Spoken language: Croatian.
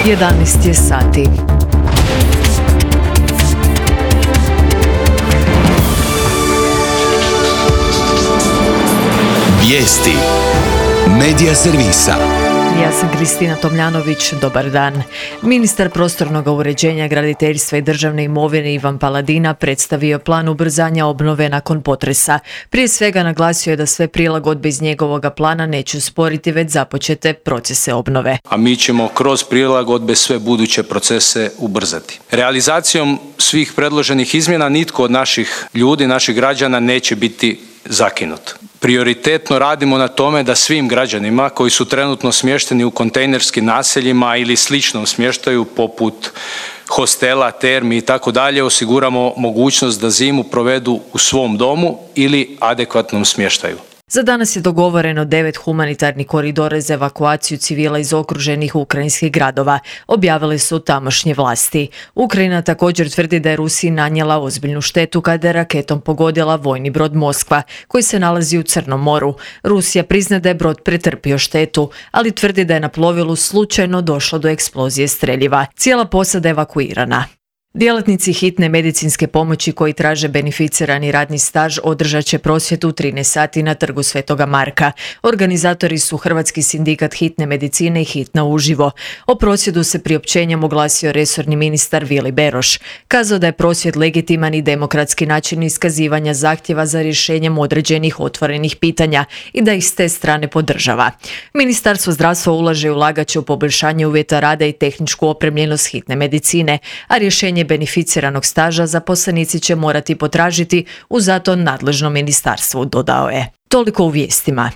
11 je sati. Vijesti Medija servisa. Ja sam Kristina Tomljanović, dobar dan. Ministar prostornog uređenja, graditeljstva i državne imovine Ivan Paladina predstavio plan ubrzanja obnove nakon potresa. Prije svega naglasio je da sve prilagodbe iz njegovog plana neće usporiti već započete procese obnove. A mi ćemo kroz prilagodbe sve buduće procese ubrzati. Realizacijom svih predloženih izmjena nitko od naših ljudi, naših građana neće biti zakinut. Prioritetno radimo na tome da svim građanima koji su trenutno smješteni u kontejnerskim naseljima ili sličnom smještaju poput hostela, termi i tako dalje osiguramo mogućnost da zimu provedu u svom domu ili adekvatnom smještaju. Za danas je dogovoreno 9 humanitarnih koridora za evakuaciju civila iz okruženih ukrajinskih gradova, objavile su tamošnje vlasti. Ukrajina također tvrdi da je Rusiji nanijela ozbiljnu štetu kada je raketom pogodila vojni brod Moskva, koji se nalazi u Crnom moru. Rusija prizna da je brod pretrpio štetu, ali tvrdi da je na plovilu slučajno došlo do eksplozije streljiva. Cijela posada je evakuirana. Djelatnici hitne medicinske pomoći koji traže beneficirani radni staž održat će prosvjed u 13 sati na Trgu Svetoga Marka. Organizatori su Hrvatski sindikat hitne medicine i Hitna uživo. O prosvjedu se priopćenjem oglasio resorni ministar Vili Beroš. Kazao da je prosvjed legitiman i demokratski način iskazivanja zahtjeva za rješenjem određenih otvorenih pitanja i da ih s te strane podržava. Ministarstvo zdravstva ulaže i ulagat će u poboljšanje uvjeta rada i tehničku opremljenost hitne medicine, a rješenje beneficiranog staža zaposlenici će morati potražiti u zato nadležnom ministarstvu, dodao je. Toliko u vijestima.